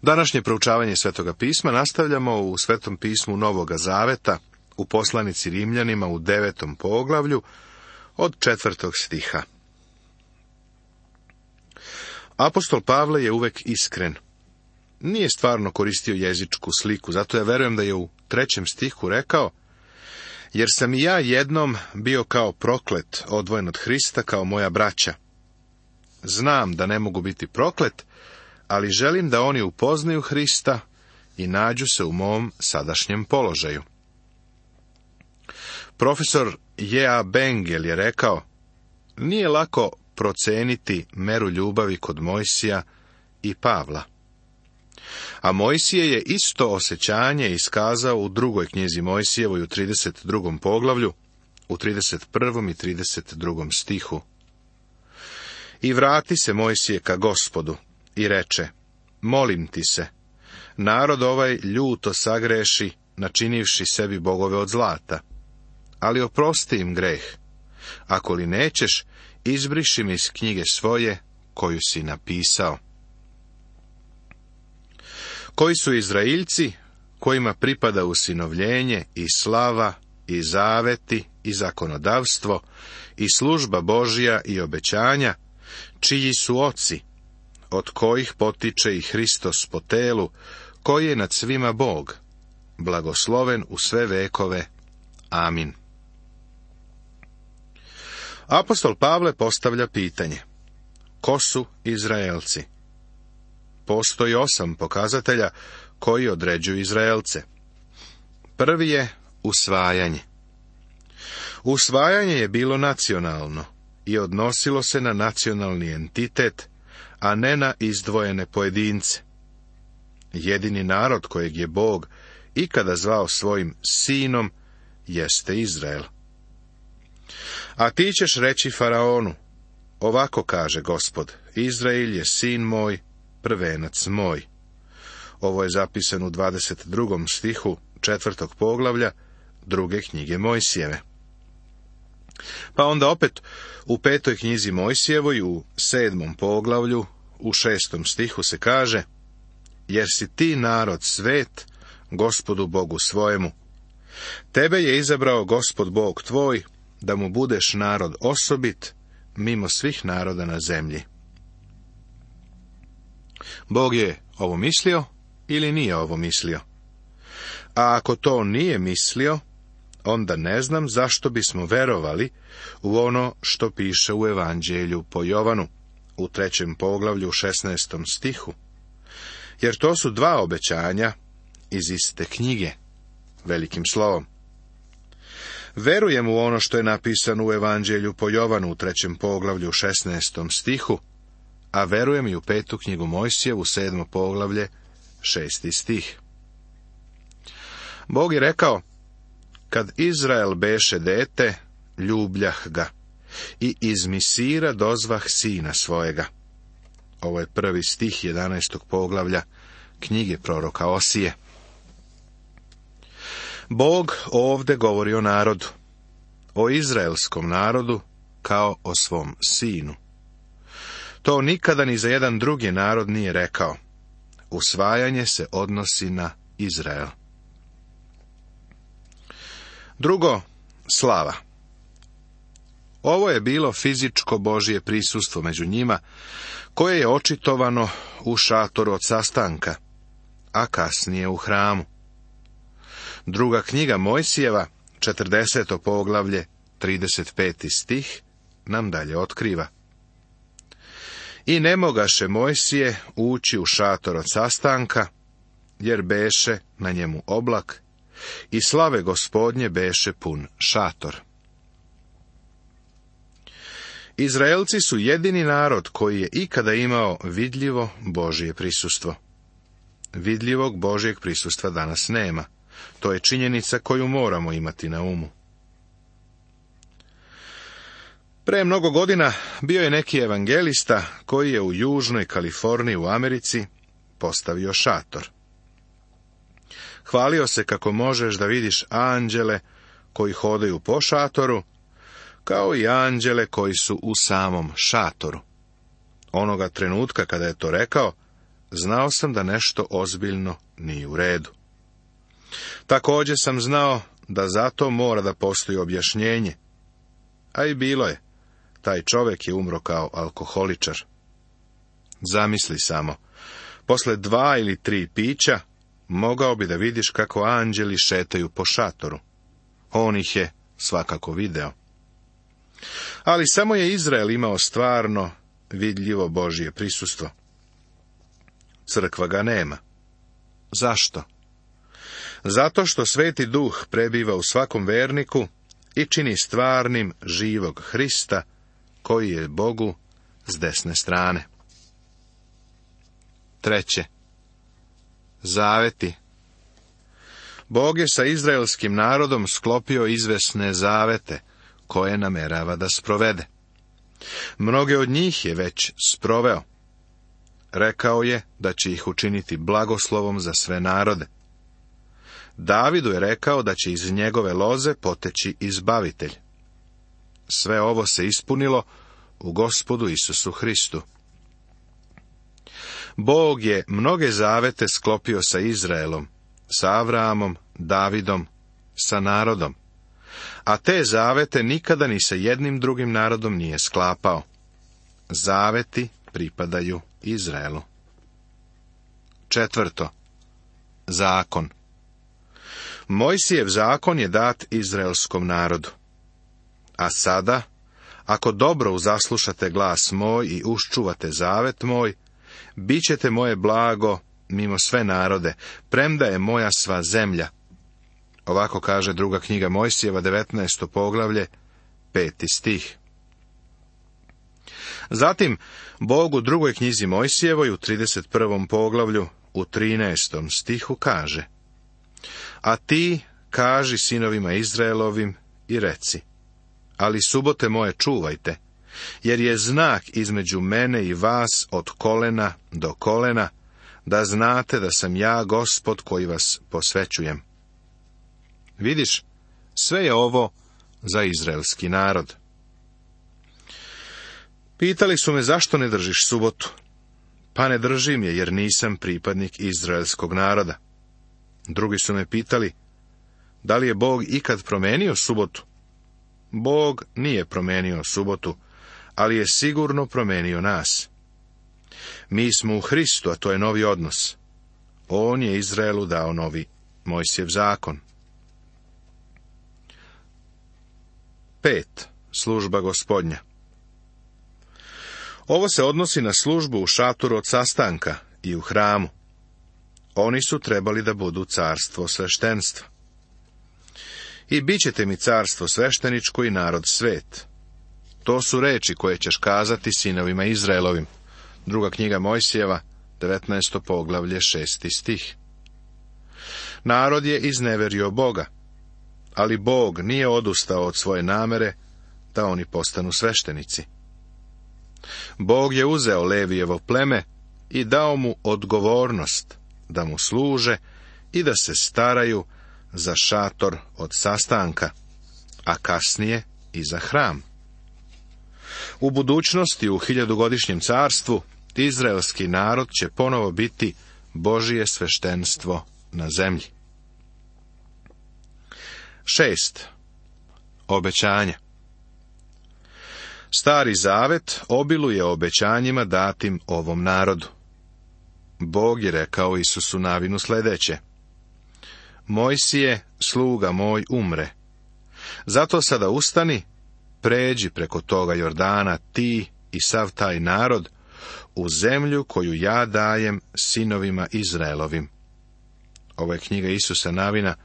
Današnje proučavanje Svetoga pisma nastavljamo u Svetom pismu Novoga Zaveta, u poslanici Rimljanima u 9. poglavlju, od 4. stiha. Apostol Pavle je uvek iskren. Nije stvarno koristio jezičku sliku, zato ja verujem da je u 3. stihu rekao: jer sam i ja jednom bio kao proklet, odvojen od Hrista kao moja braća. Znam da ne mogu biti proklet, ali želim da oni upoznaju Hrista i nađu se u mom sadašnjem položaju. Profesor J.A. Bengel je rekao: nije lako proceniti meru ljubavi kod Mojsija i Pavla. A Mojsije je isto osjećanje iskazao u 2. knjizi Mojsijevoj u 32. poglavlju, u 31. i 32. stihu. I vrati se Mojsije ka Gospodu i reče: molim ti se, narod ovaj ljuto sagreši, načinivši sebi bogove od zlata, ali oprosti im greh. Ako li nećeš, izbriši mi iz knjige svoje koju si napisao. Koji su Izraeljci, kojima pripada usinovljenje i slava i zaveti i zakonodavstvo i služba Božja i obećanja, čiji su oci, od kojih potiče i Hristos po telu, koji je nad svima Bog, blagosloven u sve vekove. Amin. Apostol Pavle postavlja pitanje: ko su Izraelci? Postoji 8 pokazatelja koji određuju Izraelce. Prvi je usvajanje. Usvajanje je bilo nacionalno i odnosilo se na nacionalni entitet, a ne na izdvojene pojedince. Jedini narod kojeg je Bog ikada zvao svojim sinom jeste Izrael. A ti ćeš reći faraonu: ovako kaže Gospod, Izrael je sin moj, prvenac moj. Ovo je zapisano u 22. stihu 4. poglavlja 2. knjige Mojsijeve. Pa onda opet u 5. knjizi Mojsijevoj u 7. poglavlju u 6. stihu se kaže: jer si ti narod svet Gospodu Bogu svojemu. Tebe je izabrao Gospod Bog tvoj, da mu budeš narod osobit mimo svih naroda na zemlji. Bog je ovo mislio ili nije ovo mislio? A ako to nije mislio, onda ne znam zašto bismo verovali u ono što piše u Evanđelju po Jovanu, u 3. poglavlju u 16. stihu. Jer to su 2 obećanja iz iste knjige, velikim slovom. Verujem u ono što je napisano u Evanđelju po Jovanu u 3. poglavlju u 16. stihu, a verujem i u 5. knjigu Mojsijevu, 7. poglavlje, 6. stih. Bog je rekao: kad Izrael beše dete, ljubljah ga, i iz Misira dozvah sina svojega. Ovo je 1. stih 11. poglavlja knjige proroka Osije. Bog ovdje govori o narodu, o izraelskom narodu kao o svom sinu. To nikada ni za jedan drugi narod nije rekao. Usvajanje se odnosi na Izrael. Drugo, slava. Ovo je bilo fizičko Božje prisustvo među njima, koje je očitovano u šatoru od sastanka, a kasnije u hramu. 2. knjiga Mojsijeva, 40. poglavlje, 35. stih, nam dalje otkriva: i ne mogaše Mojsije ući u šator od sastanka, jer beše na njemu oblak, i slave Gospodnje beše pun šator. Izraelci su jedini narod koji je ikada imao vidljivo Božje prisustvo. Vidljivog Božjeg prisustva danas nema. To je činjenica koju moramo imati na umu. Pre mnogo godina bio je neki evangelista koji je u južnoj Kaliforniji u Americi postavio šator. Hvalio se kako možeš da vidiš anđele koji hodaju po šatoru, kao i anđele koji su u samom šatoru. Onoga trenutka kada je to rekao, znao sam da nešto ozbiljno nije u redu. Također sam znao da za to mora da postoji objašnjenje. A i bilo je. Taj čovjek je umro kao alkoholičar. Zamisli samo, posle 2 ili 3 pića, mogao bi da vidiš kako anđeli šetaju po šatoru. On ih je svakako video. Ali samo je Izrael imao stvarno vidljivo Božje prisustvo. Crkva ga nema. Zašto? Zato što Sveti Duh prebiva u svakom verniku i čini stvarnim živog Hrista, koji je Bogu s desne strane. 3. Zaveti. Bog je sa izraelskim narodom sklopio izvesne zavete, koje namerava da sprovede. Mnoge od njih je već sproveo. Rekao je da će ih učiniti blagoslovom za sve narode. Davidu je rekao da će iz njegove loze poteći izbavitelj. Sve ovo se ispunilo u Gospodu Isusu Hristu. Bog je mnoge zavete sklopio sa Izraelom, sa Avraamom, Davidom, sa narodom. A te zavete nikada ni sa jednim drugim narodom nije sklapao. Zaveti pripadaju Izraelu. 4. Zakon. Mojsijev zakon je dat izraelskom narodu. A sada, ako dobro uzaslušate glas moj i uščuvate zavet moj, bit ćete moje blago mimo sve narode, premda je moja sva zemlja. Ovako kaže 2. knjiga Mojsijeva, 19. poglavlje, 5. stih. Zatim, Bog u 2. knjizi Mojsijevoj, u 31. poglavlju, u 13. stihu kaže: A ti kaži sinovima Izraelovim i reci: Ali subote moje čuvajte, jer je znak između mene i vas od kolena do kolena, da znate da sam ja Gospod koji vas posvećujem. Vidiš, sve je ovo za izraelski narod. Pitali su me zašto ne držiš subotu. Pa ne držim je jer nisam pripadnik izraelskog naroda. Drugi su me pitali, da li je Bog ikad promenio subotu? Bog nije promenio subotu, ali je sigurno promenio nas. Mi smo u Hristu, a to je novi odnos. On je Izraelu dao novi Mojsijev zakon. 5. Služba Gospodnja. Ovo se odnosi na službu u šatoru od sastanka i u hramu. Oni su trebali da budu carstvo sveštenstva. I bit ćete mi carstvo svešteničko i narod svet. To su reči koje ćeš kazati sinovima Izraelovim. 2. knjiga Mojsijeva, 19. poglavlje, 6. stih. Narod je izneverio Boga, ali Bog nije odustao od svoje namere da oni postanu sveštenici. Bog je uzeo Levijevo pleme i dao mu odgovornost da mu služe i da se staraju za šator od sastanka, a kasnije i za hram. U budućnosti, u 1000-godišnjem carstvu, izraelski narod će ponovo biti Božije sveštenstvo na zemlji. 6. Obećanja. Stari zavet obiluje obećanjima datim ovom narodu. Bog je rekao Isusu Navinu sljedeće: Mojsije, sluga moj, umre. Zato sada ustani, pređi preko toga Jordana ti i sav taj narod u zemlju koju ja dajem sinovima Izraelovim. Ovo je knjiga Isusa Navina,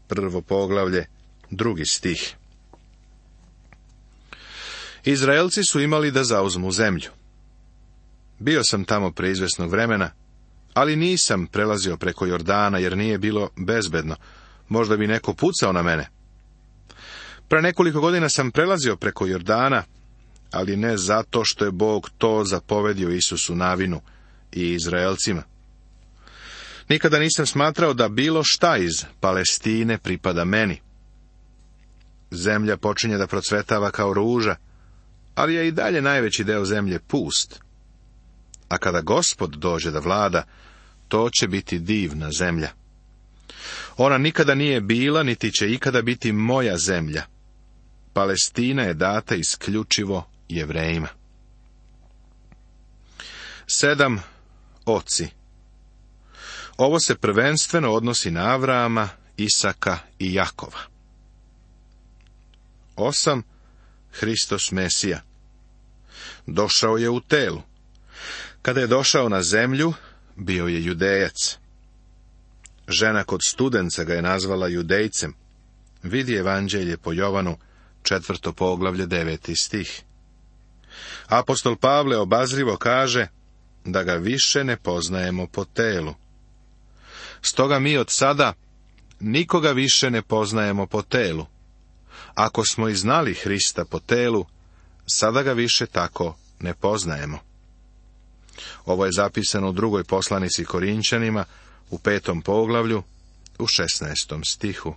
1. poglavlje, 2. stih. Izraelci su imali da zauzmu zemlju. Bio sam tamo pre izvesnog vremena, ali nisam prelazio preko Jordana jer nije bilo bezbedno. Možda bi neko pucao na mene. Pre nekoliko godina sam prelazio preko Jordana, ali ne zato što je Bog to zapovedio Isusu Navinu i Izraelcima. Nikada nisam smatrao da bilo šta iz Palestine pripada meni. Zemlja počinje da procvetava kao ruža, ali je i dalje najveći deo zemlje pust. a kada Gospod dođe da vlada, to će biti divna zemlja. Ona nikada nije bila, niti će ikada biti moja zemlja. Palestina je data isključivo Jevrejima. 7. Oci. Ovo se prvenstveno odnosi na Avrama, Isaka i Jakova. 8. Hristos Mesija. Došao je u telu. Kada je došao na zemlju, bio je Judejac. Žena kod studenca ga je nazvala Judejcem. Vidi Evanđelje po Jovanu, 4. poglavlje, 9. stih. Apostol Pavle obazrivo kaže da ga više ne poznajemo po telu. Stoga mi od sada nikoga više ne poznajemo po telu. Ako smo i znali Hrista po telu, sada ga više tako ne poznajemo. Ovo je zapisano u 2. poslanici Korinčanima, u 5. poglavlju, u 16. stihu.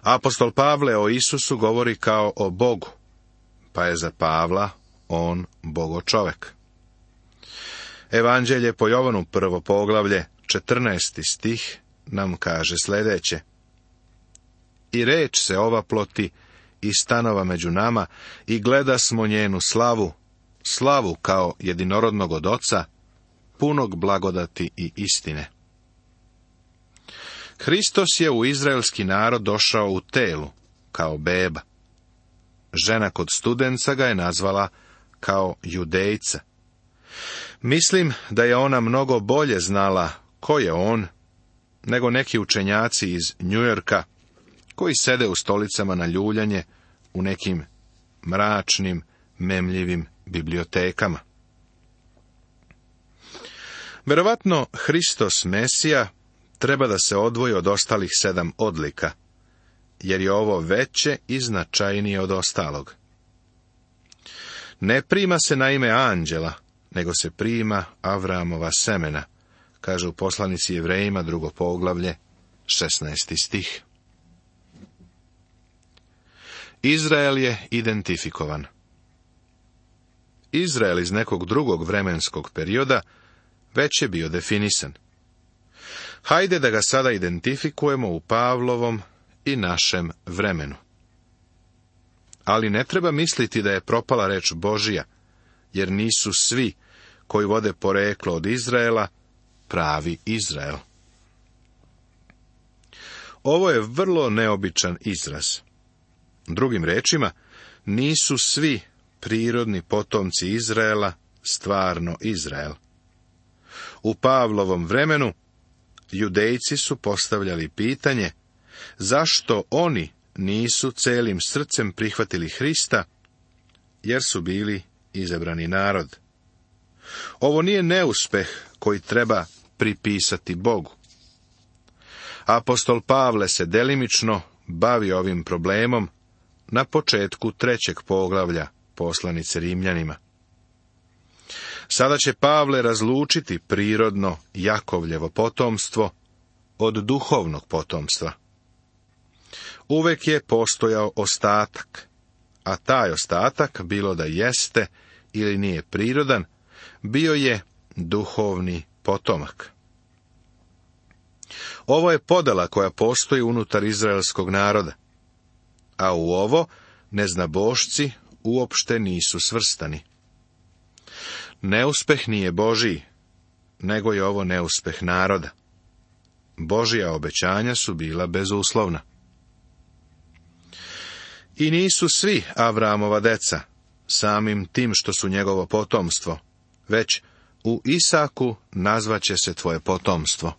Apostol Pavle o Isusu govori kao o Bogu, pa je za Pavla on Bogočovek. Evanđelje po Jovanu, 1. poglavlje, 14. stih, nam kaže sljedeće. I reč se ovaploti i stanova među nama i gleda smo njenu slavu, slavu kao jedinorodnog od Oca, punog blagodati i istine. Hristos je u izraelski narod došao u telu, kao beba. Žena kod studenca ga je nazvala kao Judejca. Mislim da je ona mnogo bolje znala ko je on, nego neki učenjaci iz Njujorka, koji sede u stolicama na ljuljanje u nekim mračnim, memljivim bibliotekama. Verovatno Hristos Mesija treba da se odvoji od ostalih 7 odlika, jer je ovo veće i značajnije od ostalog. Ne prima se na ime anđela, nego se prima Avramova semena, kaže u poslanici Jevrejima, 2. poglavlje, 16. stih. Izrael je identifikovan. Izrael iz nekog drugog vremenskog perioda već je bio definisan. Hajde da ga sada identifikujemo u Pavlovom i našem vremenu. Ali ne treba misliti da je propala reč Božija, jer nisu svi koji vode poreklo od Izraela pravi Izrael. Ovo je vrlo neobičan izraz. Drugim rečima, nisu svi prirodni potomci Izraela stvarno Izrael. U Pavlovom vremenu Judejci su postavljali pitanje zašto oni nisu celim srcem prihvatili Hrista, jer su bili izabrani narod. Ovo nije neuspeh koji treba pripisati Bogu. Apostol Pavle se delimično bavi ovim problemom na početku 3. poglavlja poslanice Rimljanima. Sada će Pavle razlučiti prirodno Jakovljevo potomstvo od duhovnog potomstva. Uvek je postojao ostatak, a taj ostatak, bilo da jeste ili nije prirodan, bio je duhovni potomak. Ovo je podela koja postoji unutar izraelskog naroda, a u ovo neznabošci uopšte nisu svrstani. Neuspeh nije Božiji, nego je ovo neuspeh naroda. Božja obećanja su bila bezuslovna. I nisu svi Avramova deca, samim tim što su njegovo potomstvo, već u Isaku nazvaće se tvoje potomstvo.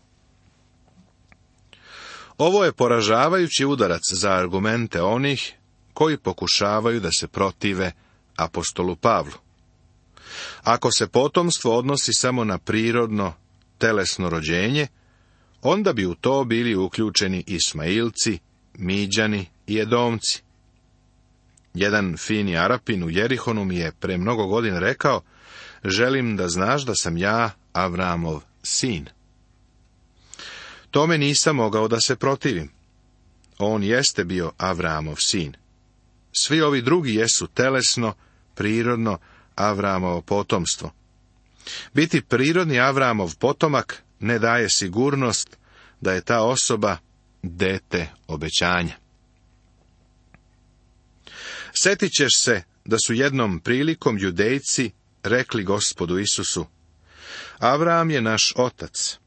Ovo je poražavajući udarac za argumente onih koji pokušavaju da se protive apostolu Pavlu. Ako se potomstvo odnosi samo na prirodno, telesno rođenje, onda bi u to bili uključeni Ismailci, Miđani i Edomci. Jedan fini Arapin u Jerihonu mi je pre mnogo godina rekao, želim da znaš da sam ja Avramov sin. Tome nisam mogao da se protivim. On jeste bio Avramov sin. Svi ovi drugi jesu telesno, prirodno, Avramovo potomstvo. Biti prirodni Avramov potomak ne daje sigurnost da je ta osoba dete obećanja. Sjetit ćeš se da su jednom prilikom Judejci rekli Gospodu Isusu: Avram je naš otac.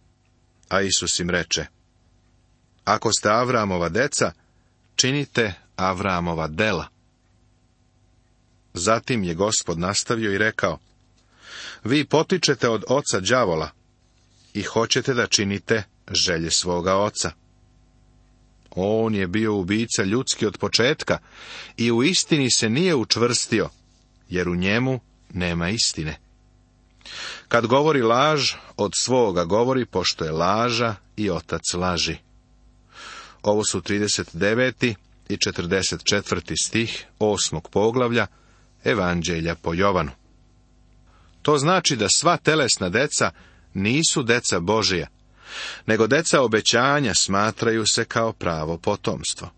A Isus im reče: Ako ste Avramova deca, činite Avramova dela. Zatim je Gospod nastavio i rekao: Vi potičete od oca đavola i hoćete da činite želje svoga oca. On je bio ubica ljudski od početka i u istini se nije učvrstio, jer u njemu nema istine. Kad govori laž, od svoga govori, pošto je laža i otac laži. Ovo su 39. i 44. stih 8. poglavlja Evanđelja po Jovanu. To znači da sva telesna deca nisu deca Božija, nego deca obećanja smatraju se kao pravo potomstvo.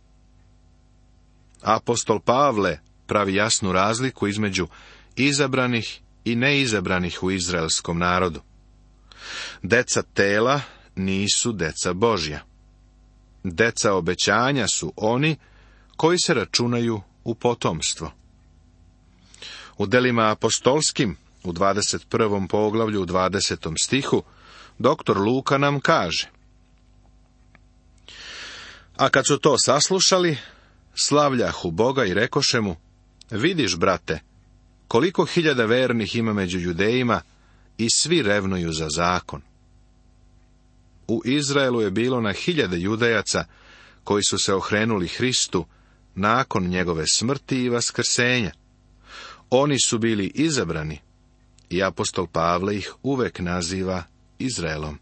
Apostol Pavle pravi jasnu razliku između izabranih i neizabranih u izraelskom narodu. Deca tela nisu deca Božja. Deca obećanja su oni koji se računaju u potomstvo. U delima apostolskim, u 21. poglavlju, u 20. stihu, doktor Luka nam kaže: A kad su to saslušali, slavljahu Boga i rekoše mu: Vidiš, brate, koliko hiljada vernih ima među Judejima i svi revnuju za zakon. U Izraelu je bilo na hiljade Judejaca koji su se okrenuli Hristu nakon njegove smrti i vaskrsenja. Oni su bili izabrani i apostol Pavle ih uvek naziva Izraelom.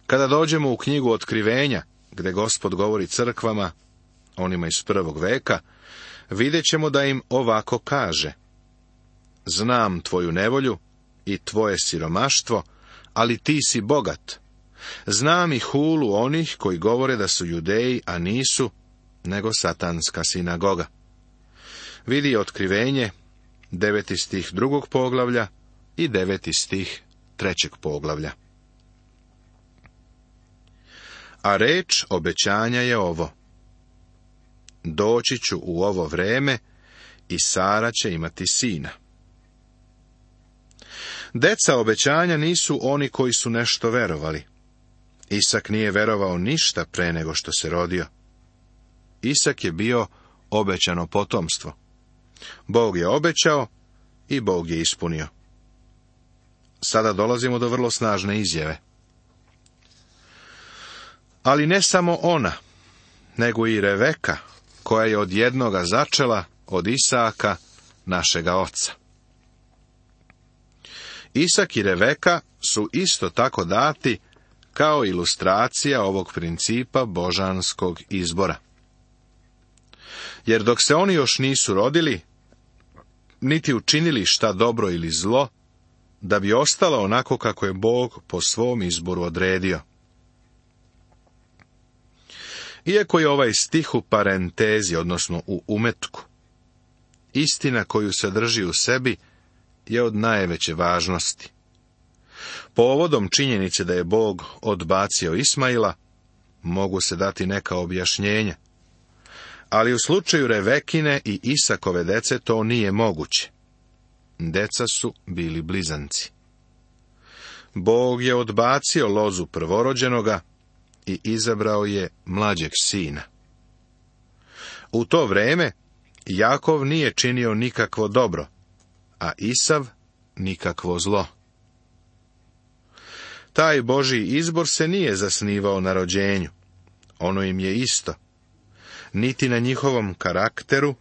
Kada dođemo u knjigu Otkrivenja, gde Gospod govori crkvama, onima iz prvog veka, vidjet ćemo da im ovako kaže: Znam tvoju nevolju i tvoje siromaštvo, ali ti si bogat. Znam i hulu onih koji govore da su Judeji, a nisu, nego satanska sinagoga. Vidi Otkrivenje, 9. stih 2. poglavlja i 9. stih 3. poglavlja. A reč obećanja je ovo: Doći ću u ovo vreme i Sara će imati sina. Deca obećanja nisu oni koji su nešto verovali. Isak nije verovao ništa pre nego što se rodio. Isak je bio obećano potomstvo. Bog je obećao i Bog je ispunio. Sada dolazimo do vrlo snažne izjave. Ali ne samo ona, nego i Reveka, koja je od jednoga začela, od Isaka, našega oca. Isak i Reveka su isto tako dati kao ilustracija ovog principa božanskog izbora. Jer dok se oni još nisu rodili, niti učinili šta dobro ili zlo, da bi ostalo onako kako je Bog po svom izboru odredio. Iako je ovaj stih u parentezi, odnosno u umetku, istina koju sadrži u sebi je od najveće važnosti. Povodom činjenice da je Bog odbacio Ismaila, mogu se dati neka objašnjenja, ali u slučaju Revekine i Isakove dece to nije moguće. Deca su bili blizanci. Bog je odbacio lozu prvorođenoga i izabrao je mlađeg sina. U to vreme Jakov nije činio nikakvo dobro, a Isav nikakvo zlo. Taj Božji izbor se nije zasnivao na rođenju. Ono im je isto. Niti na njihovom karakteru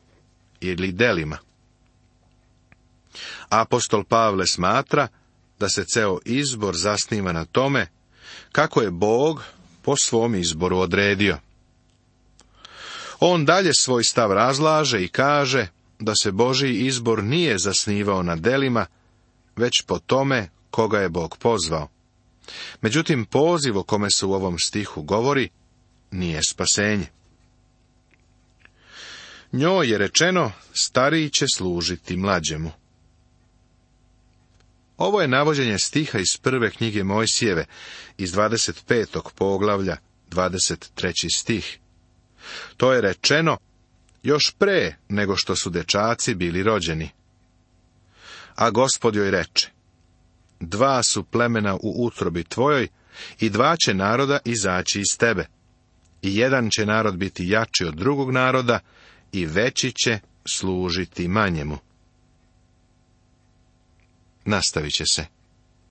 ili delima. Apostol Pavle smatra da se ceo izbor zasniva na tome kako je Bog po svom izboru odredio. On dalje svoj stav razlaže i kaže da se Božji izbor nije zasnivao na delima, već po tome koga je Bog pozvao. Međutim, poziv o kome se u ovom stihu govori nije spasenje. Njoj je rečeno, stariji će služiti mlađemu. Ovo je navođenje stiha iz prve knjige Mojsijeve, iz 25. poglavlja, 23. stih. To je rečeno još pre nego što su dečaci bili rođeni. A Gospod joj reče, 2 su plemena u utrobi tvojoj i 2 će naroda izaći iz tebe. I jedan će narod biti jači od drugog naroda i veći će služiti manjemu. Nastavit će se.